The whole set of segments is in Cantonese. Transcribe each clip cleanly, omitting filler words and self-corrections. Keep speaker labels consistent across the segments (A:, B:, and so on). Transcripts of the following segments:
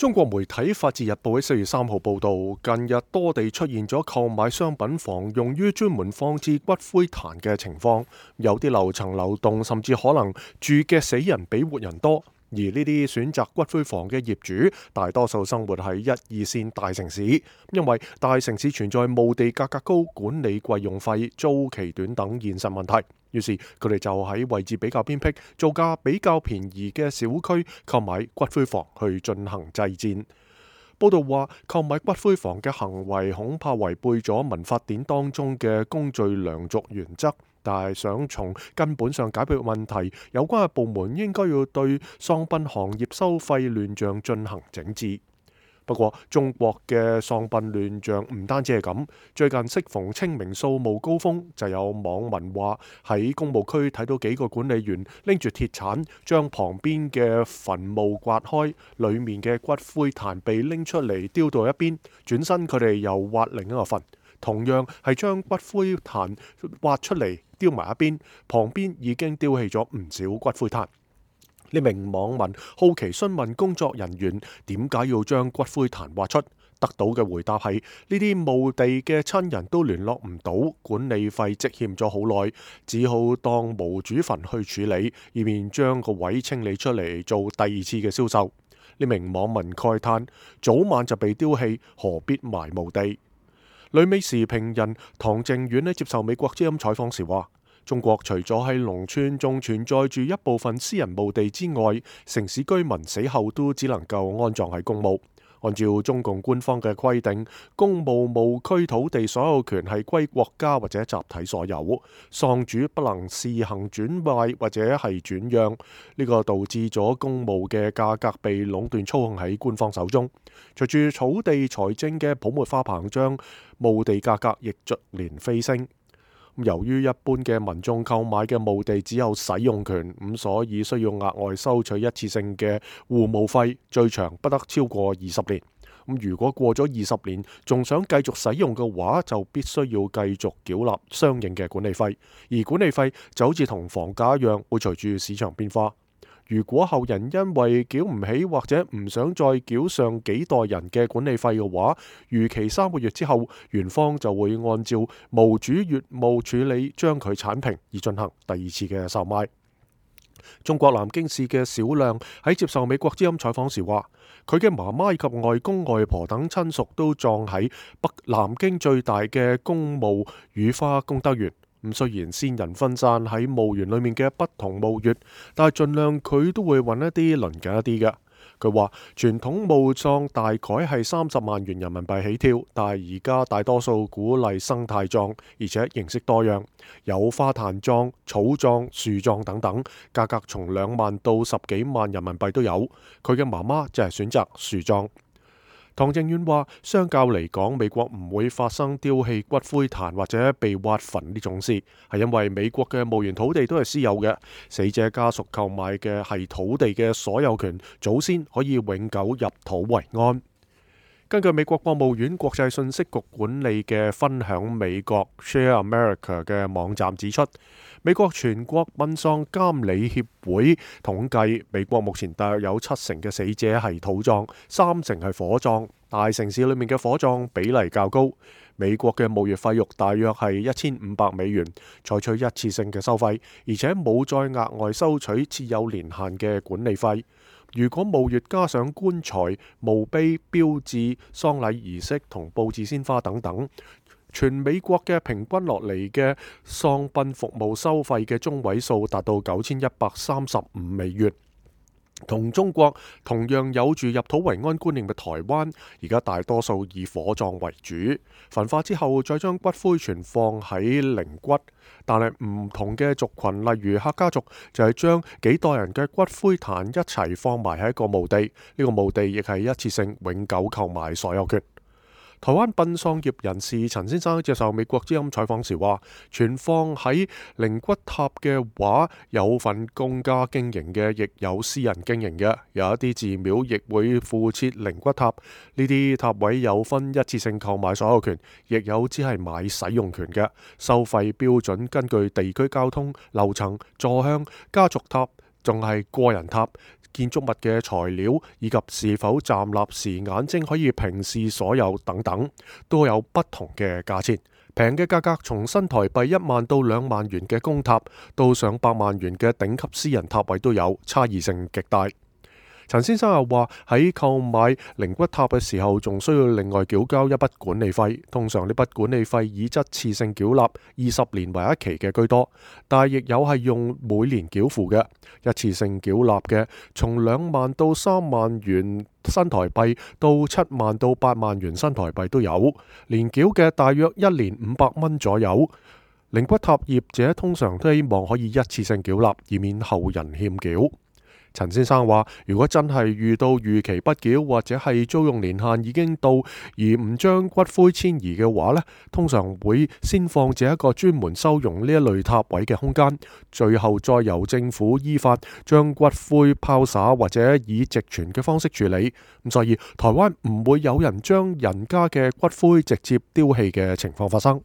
A: 中國媒體《法治日報》喺4月3號報道，近日多地出現咗購買商品房用於專門放置骨灰壇嘅情況，有啲樓層流動，甚至可能住嘅死人比活人多。而呢啲選擇骨灰房嘅業主，大多數生活喺1、2線大城市，因為大城市存在墓地價格高、管理費用費、租期短等現實問題。於是佢哋就喺位置比較偏僻、造價比較便宜嘅小區購買骨灰房去進行祭奠。報道話，購買骨灰房嘅行為恐怕違背咗民法典當中嘅公序良俗原則，但係想從根本上解決問題，有關嘅部門應該要對喪殯行業收費亂象進行整治。不過，中國嘅喪殯亂象唔單止係咁，最近適逢清明掃墓高峰，就有網民話喺公墓區睇到幾個管理員拎住鐵鏟將旁邊嘅墳墓刮開，裡面嘅骨灰壇被拎出嚟丟到一邊，轉身佢哋又挖另一個墳，同樣係將骨灰壇挖出嚟丟埋一邊，旁邊已經丟棄咗唔少骨灰壇。呢名網民好奇詢問工作人員點解要將骨灰壇挖出，得到嘅回答係呢啲墓地嘅親人都聯絡唔到，管理費積欠咗好耐，只好當無主墳去處理，以免將個位清理出嚟做第二次嘅銷售。呢名網民慨嘆：早晚就被丟棄，何必埋墓地？旅美時評人唐靖遠接受美國之音採訪時話：中國除咗喺農村仲存在住一部分私人墓地之外，城市居民死後都只能夠安葬喺公墓。按照中共官方嘅規定，公墓墓區土地所有權係歸國家或者集體所有，喪主不能試行轉賣或者係轉讓。呢個導致咗公墓嘅價格被壟斷操控喺官方手中。隨住土地財政嘅泡沫化膨脹，墓地價格亦逐年飛升。由於一般嘅民眾購買嘅墓地只有使用權，咁所以需要額外收取一次性嘅護墓費，最長不得超過20年。如果過咗20年，仲想繼續使用嘅話，就必須要繼續繳納相應嘅管理費，而管理費就好似同房價一樣，會隨住市場變化。如果後人因為繳唔起或者唔想再繳上幾代人嘅管理費嘅話，逾期3個月之後，園方就會按照墓主乙墓處理將佢剷平，而進行第二次嘅售賣。中國南京市嘅小亮喺接受美國之音採訪時話，佢嘅媽媽以及外公外婆等親屬都葬喺北南京最大嘅公墓雨花功德園。雖然先人分散喺墓園裏面嘅不同墓穴，但係盡量佢都會揾一啲鄰近一啲嘅。佢話傳統墓葬大概係30萬元人民幣起跳，但係而家大多數鼓勵生態葬，而且形式多樣，有花壇葬、草葬、樹葬等等，價格從2萬到10幾萬人民幣都有。佢嘅媽媽就係選擇樹葬。唐靖遠話，相較嚟講，美國唔會發生丟棄骨灰壇或者被挖墳呢種事，係因為美國嘅墓園土地都係私有嘅，死者家屬購買嘅係土地嘅所有權，祖先可以永久入土為安。根據美國國務院國際信息局管理嘅分享美國 Share America 嘅網站指出，美國全國殯葬監理協會統計，美國目前大約有70%嘅死者係土葬，30%係火葬。大城市裏面嘅火葬比例較高。美國嘅墓穴費用大約係$1500，採取一次性嘅收費，而且冇再額外收取設有年限嘅管理費。如果墓穴加上棺材、墓碑、標誌、喪禮儀式同佈置鮮花等等，全美國嘅平均落嚟嘅喪殯服務收費嘅中位數達到$9135。同中國同樣有住入土為安觀念嘅台灣，而家大多數以火葬為主，焚化之後再將骨灰存放喺靈骨。但係唔同嘅族群，例如客家族，就係將幾代人嘅骨灰壇一齊放埋喺一個墓地，呢個墓地亦係一次性永久購買所有權。台灣殯葬業人士陳先生接受美國之音採訪時話，存放喺靈骨塔嘅話，有份公家經營嘅，亦有私人經營嘅，有一啲寺廟亦會附設靈骨塔。呢啲塔位有分一次性購買所有權，亦有只係買使用權嘅。收費標準根據地區交通、樓層、座向、家族塔，仲係個人塔。建築物嘅材料，以及是否站立時眼睛可以平視所有等等，都有不同嘅價錢。平嘅價格從新台幣1萬到2萬元嘅公塔，到上百萬元嘅頂級私人塔位都有，差異性極大。陳先生又話喺購買靈骨塔嘅時候，仲需要另外繳交一筆管理費。通常呢筆管理費以一次性繳納20年為一期嘅居多，但係亦有係用每年繳付嘅。一次性繳納嘅，從2萬到3萬元新台幣到7萬到8萬元新台幣都有，年繳嘅大約1年500蚊左右。靈骨塔業者通常都希望可以一次性繳納，以免後人欠繳。陳先生話，如果真係遇到逾期不繳，或者係租用年限已經到而唔將骨灰遷移嘅話呢，通常會先放置一個專門收容呢一類塔位嘅空間，最後再由政府依法將骨灰拋灑或者以直傳嘅方式處理。咁所以台灣唔會有人將人家嘅骨灰直接丟棄嘅情況發生。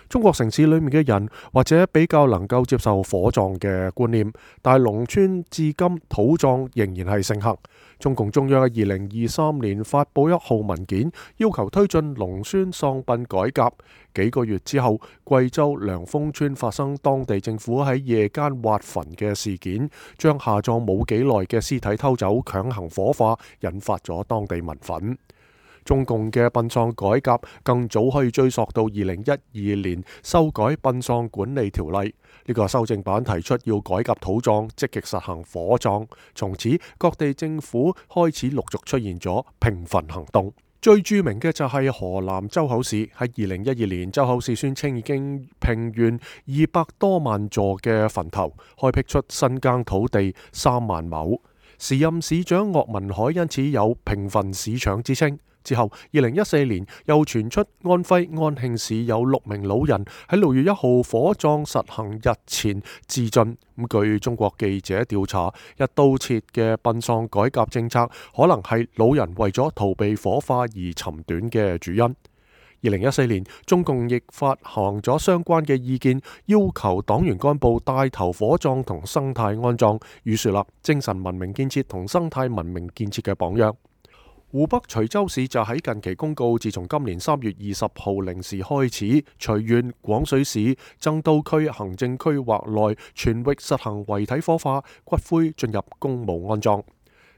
A: 中國城市裏面嘅人或者比較能夠接受火葬嘅觀念，但係農村至今土葬仍然係盛行。中共中央喺2023年發佈1號文件，要求推進農村喪殯改革。幾個月之後，貴州涼風村發生當地政府喺夜間挖墳嘅事件，將下葬冇幾耐嘅屍體偷走，強行火化，引發咗當地民憤。中共嘅殯葬改革更早可以追溯到2012年修改殯葬管理條例，呢個修正版提出要改革土葬，積極實行火葬。從此各地政府開始陸續出現咗平墳行動。最著名嘅就係河南周口市，喺2012年周口市宣稱已經平完200多萬座嘅墳頭，開闢出新耕土地3萬畝。時任市長岳文海因此有平墳市長之稱。之後2014年又傳出安徽安慶市有6名老人喺6月1號火葬實行日前自盡。據中國記者調查，一刀切嘅殯葬改革政策可能係老人為咗逃避火化而沉短嘅主因。2014年，中共亦發行咗相關嘅意見，要求黨員幹部帶頭火葬同生態安葬，預樹立精神文明建設同生態文明建設嘅榜樣。湖北徐州市就喺近期公告，自從今年3月20號零時開始，隨縣、廣水市、增都區行政區劃內全域實行遺體火化，骨灰進入公墓安葬。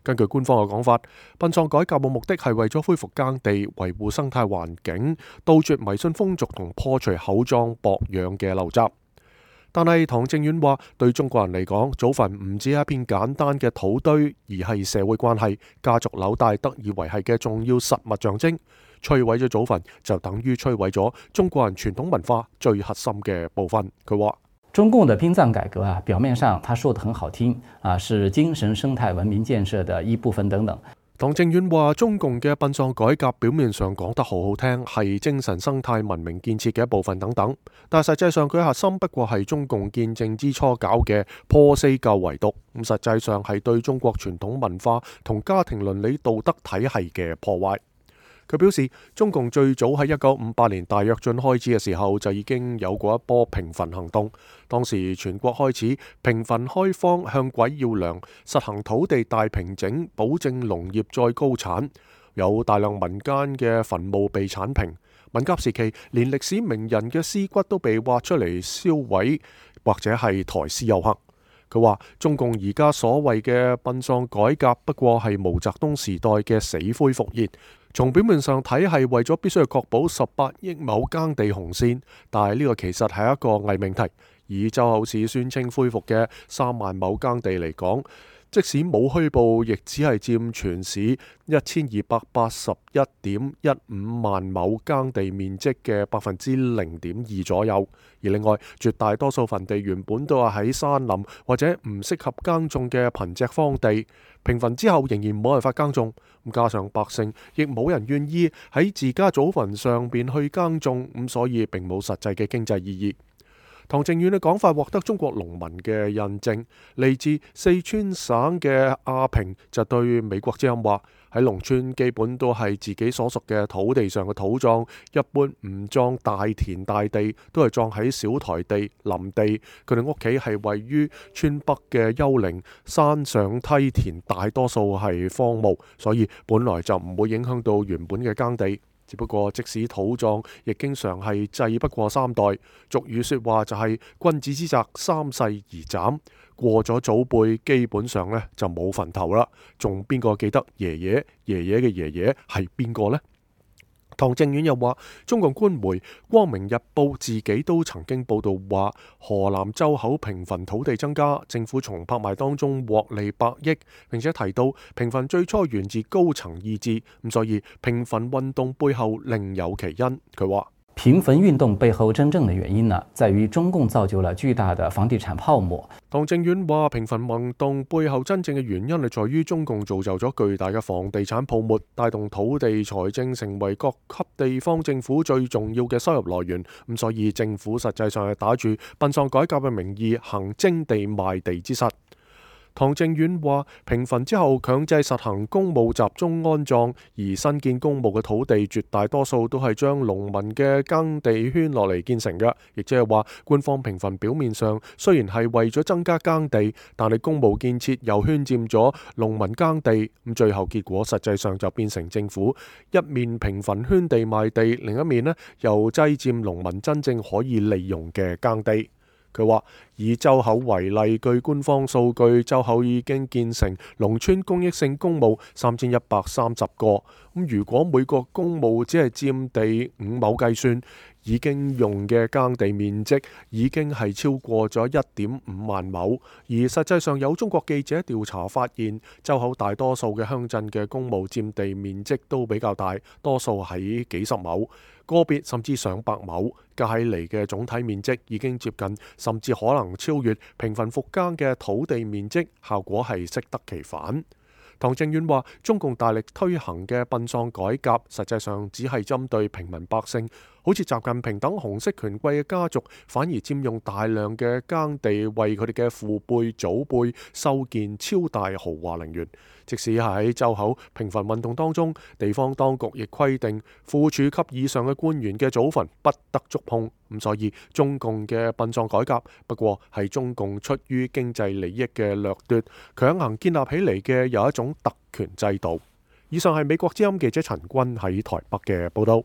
A: 根據官方嘅講法，殯葬改革嘅目的係為咗恢復耕地、維護生態環境、杜絕迷信風俗同破除厚葬薄養嘅陋習。但係唐正遠話，對中國人嚟講，祖墳唔止係一片簡單嘅土堆，而係社會關係、家族紐帶得以維繫嘅重要實物象徵。摧毀咗祖墳，就等於摧毀咗中國人傳統文化最核心嘅部分。佢話：
B: 中共的殯葬改革啊，表面上他說得很好聽啊，是精神生態文明建設的一部分等等。
A: 唐正遠話，中共嘅殯葬改革表面上講得好好聽，係精神生態文明建設嘅一部分等等，但實際上佢核心不過係中共建政之初搞嘅破四舊遺毒，咁實際上係對中國傳統文化同家庭倫理道德體系嘅破壞。佢表示，中共最早喺1958年大躍進開始嘅時候就已經有過一波平墳行動，當時全國開始平墳開荒，向鬼要糧，實行土地大平整，保證農業再高產，有大量民間嘅墳墓被剷平。文革時期，連歷史名人嘅屍骨都被挖出嚟燒毀，或者係抬屍遊行。佢話：中共而家所謂嘅殯葬改革，不過係毛澤東時代嘅死灰復燃。從表面上睇係為咗必須要確保18億畝耕地紅線，但係呢個其實係一個偽命題。以周口市宣稱恢復嘅3萬畝耕地嚟講，即使冇虛報，亦只係佔全市1281.15萬畝耕地面積嘅0.2%左右。而另外，絕大多數墳地原本都係喺山林或者唔適合耕種嘅貧瘠荒地，平墳之後仍然冇辦法耕種，加上百姓亦冇人願意喺自家祖墳上邊去耕種，所以並冇實際嘅經濟意義。唐靖遠嘅講法獲得中國農民嘅印證，嚟自四川省嘅阿平就對美國之音話：喺農村基本都係自己所屬嘅土地上嘅土葬，一般唔葬大田大地，都係葬喺小台地、林地。佢哋屋企係位於村北嘅丘陵，山上梯田大多數係荒蕪，所以本來就唔會影響到原本嘅耕地。只不過即使土葬，亦經常係祭不過3代。俗語說話就係君子之澤3世而斬，過咗祖輩，基本上呢就冇墳頭啦。仲邊個記得爺爺嘅爺爺係邊個呢？唐靖遠又話，中共官媒《光明日報》自己都曾經報道話，河南周口平墳土地增加，政府從拍賣當中獲利100億，並且提到平墳最初源自高層意志，咁所以平墳運動背後另有其因。佢話，
B: 平墳運動背後真正的原因呢，在於中共造就了巨大的房地產泡沫。
A: 唐靖遠話，平墳運動背後真正嘅原因係在於中共造就咗巨大嘅房地產泡沫，帶動土地財政成為各級地方政府最重要嘅收入來源。咁所以政府實際上係打住殯葬改革嘅名義行徵地賣地之實。唐靖遠話，平墳之後強制實行公墓集中安葬，而新建公墓嘅土地絕大多數都係將農民嘅耕地圈落嚟建成嘅，亦即係話官方平墳表面上雖然係為咗增加耕地，但係公墓建設又圈佔咗農民耕地，咁最後結果實際上就變成政府一面平墳圈地賣地，另一面呢又擠佔農民真正可以利用嘅耕地。佢話，以周口為例，據官方數據，周口已經建成農村公益性公墓3130個。咁如果每個公墓只係佔地5畝計算，已經用嘅耕地面積已經係超過咗1.5萬畝。而實際上有中國記者調查發現，周口大多數嘅鄉鎮嘅公墓佔地面積都比較大，多數喺幾十畝，個別甚至上百畝，加起嚟嘅總體面積已經接近，甚至可能超越平墳復耕嘅土地面積，效果係適得其反。唐靖遠話，中共大力推行嘅殯葬改革，實際上只係針對平民百姓，好似習近平等紅色權貴嘅家族，反而佔用大量嘅耕地，為佢哋嘅父輩祖輩修建超大豪華陵園。即使係喺周口平墳運動當中，地方當局亦規定副處級以上嘅官員嘅祖墳不得觸碰。咁所以中共嘅殯葬改革不過係中共出於經濟利益嘅掠奪，強行建立起嚟嘅有一種特權制度。以上係美國之音記者陳君喺台北嘅報道。